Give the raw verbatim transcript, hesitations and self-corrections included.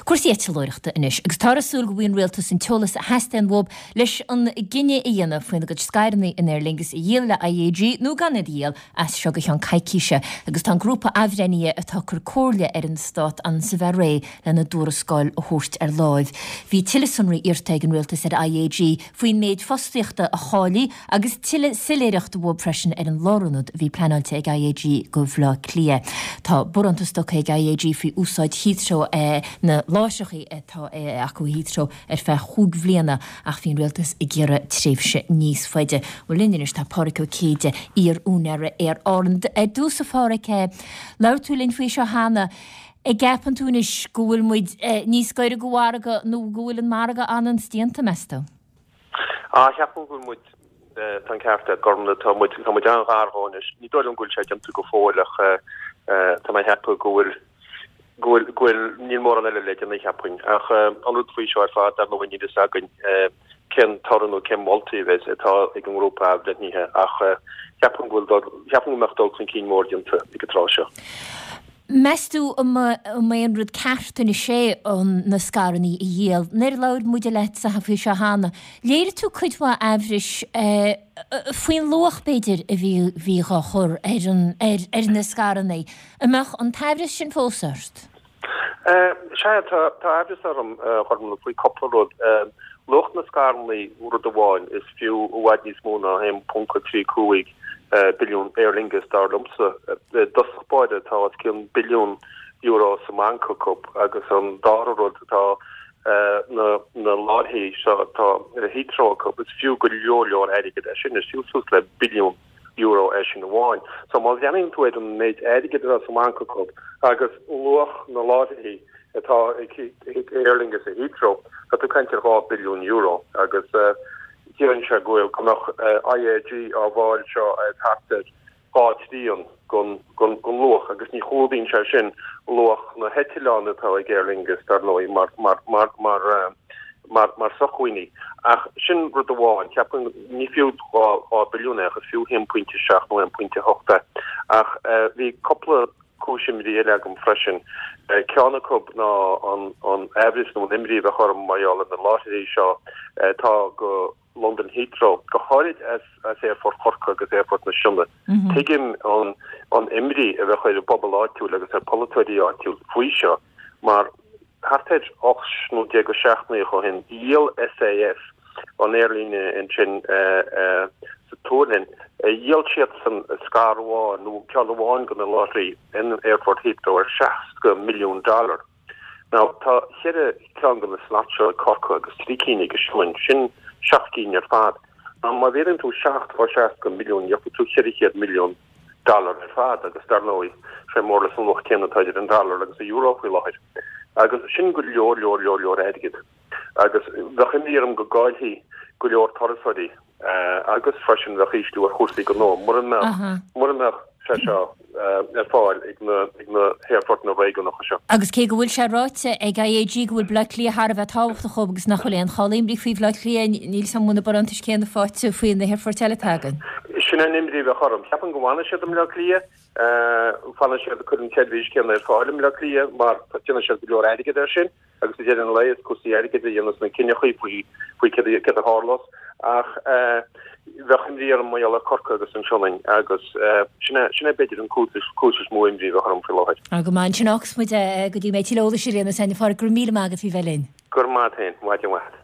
Cúrsaí eitleoireachta anois, agus táthar ag súil go bhfaighidh an rialtas an t-eolas a theastaíonn uathu leis an gcinneadh a dhéanamh faoina gcuid scaireanna in Aer Lingus a dhíol le IAG nó gan iad a dhíol as seo go ceann coicíse. Agus tá an grúpa athbhreithnithe atá ag cur comhairle ar an stát ansa bheith réidh lena dtuarascáil a thabhairt ar láimh. Bhí tuilleadh sonraí iarrta ag an rialtas ar IAG faoin méid fostaíochta a chaillfí agus tuilleadh soiléireachta uathu freisin ar an lárionad a bhí pleanáilte ag IAG do Bhaile Átha Cliath. Tá barántas tugtha ag IAG faoi úsáid Heathrow na láithreacha atá acu Heathrow ar feadh chúig bhliana ach bhí an rialtas ag iarraidh tréimhse níos faide. Bhuel linn anois tá Pádraig Ó Céide, iar-úinéara Aer Árann. Ar dtús a Phádraig, labhair tú linn faoi seo cheana. An gceapann tú anois go bhfuil muid níos gaire do mhargadh nó go bhfuil an margadh ionann's déanta, meas tú? Á, cheapfainn go bhfuil muid, tá an ceart ag Gormlaith, tá muid, tá muid an-ghar dhó anois. Ní dóigh liom go bhfuil sé déanta go fóill ach tá mé ag ceapadh go bhfuil, go bhfuil, go bhfuil, níl mórán eile le déanamh cheapfainn. Ach an rud faoi seo ar fad, dar ndóigh, níl fhios againn cén toradh nó cén moltaí a bheas atá ag an ngrúpa athbhreithnithe ach cheapfainn go bhfuil dul, cheapfainn go mbeadh dul chun cinn mór déanta ag an tráth seo. Meas tú an mba é an rud ceart anois é na scaireanna a dhíol? Nuair a labhair muide leatsa faoi seo cheana, léirigh tú cuid mhaith aimhris faoin luach, b'fhéidir, a bhí bhí dhá chur ar an ar na scaireanna. An mbeadh an t-aimhreas sin fós ort? Sea, tá tá aimhreas orm, a Ghormlaith, faoi cúpla rud. Luach na scaireanna, rud amháin, is fiú i bhfad níos mó ná a haon ponc a trí cúig billiún Aer Lingus, dar liomsa. I dtosach báire tá os cionn billiún euro sa mbanc acu agus an dara rud tá na na láithreacha seo atá ar Heathrow acu, is fiú go leor leor airgid é sin, is fiú suas le billiún euro é sin amháin. So má bhreathnaíonn tú ar an méid airgid atá sa mbanc acu agus luach na láithreacha atá ag Aer Lingus i Heathrow, tá tú ag caint ar dhá billiún euro agus Ciallaíonn sé go bhfuil go mbeadh IAG á bhfáil seo ar thart ar dhá thrian den luach agus ní chlúdaíonn sé sin luach na heitleán atá ag Aer Lingus, dar ndóigh, mar mar mar mar mar mar sócmhainní. Ach sin rud amháin, ceapaim, ní fiú dhá dhá billiún é ach is fiú haon pointe seacht nó haon pointe hocht é. Ach bhí cúpla cúis imní eile agam freisin. Ceann acu ná an an aimhreas nó an imní a bheadh orm mar gheall ar na láithreacha seo atá go Londain Heathrow, go háirid as as Aerfort Chorcaí agus Aerfort na Sionna. Tuigim an an imní a bheadh ar an bpobal áitiúil agus ar pholaiteoirí áitiúil faoi seo mar thart ar ocht nó déag de seachtainí ó shin, dhíol SAS an aerlíne ansin sa tSualainn, dhíol siadsan scair amháin nó ceann amháin de na láithreacha in Aerfort Heathrow ar seasca milliún dollar. Now, tá ceithre cheann de na slots seo ag Corcaigh agus trí cinn ag an Sionainn, sin seacht gcinn ar fad. Now, má mhéadaíonn tú seacht fá seasca milliún, gheobhaidh tú ceithre chéad milliún dollar ar fad agus dar ndóigh, sé more or less an luach céanna atá idir an dollar agus an euro faoi láthair. Agus sin go leor, leor, leor, leor airgid. Agus bheadh imní orm go gcaillfí go leor turasóirí agus freisin bheadh ísliú ar chúrsaí gnó mura mbeadh, mura mbeadh sé seo ar fáil ag na, ag na haerfortanna réigiúnacha seo. Agus cé go bhfuil sé ráite ag IAG go bhfuil Bleá Cliath thar a bheith tábhachtach dhóibh agus nach bhfuil aon chall imní faoi Bhleá Cliath, níl 'fhios a'm an bhfuil na barántais céanna faighte faoi na haerfoirt eile atá againn. Sin an imní a bheadh orm. Ceapaim go bhfanfaidh siad i mBleá Cliath, fanfaidh siad ag cur an tseirbhís céanna ar fáil i mBleá Cliath mar déanann siad go leor airgid air sin agus ag deireadh an lae is cúrsaí airgid a dhéanas na cinneachaí faoi faoi céard a tharlós ach bheadh imní orm mar gheall ar Corcaigh agus an Sionainn agus sin é sin é b'fhéidir an cúis cúis is mó imní a bheadh orm faoi láthair. Á go maith, ansin fágfas muid é go dtí go mbeidh tuilleadh eolais ar aon nós againn. A Phádraig, go raibh míle maith agat faoi bheith linn. Go raibh maith agat féin, maidin mhaith.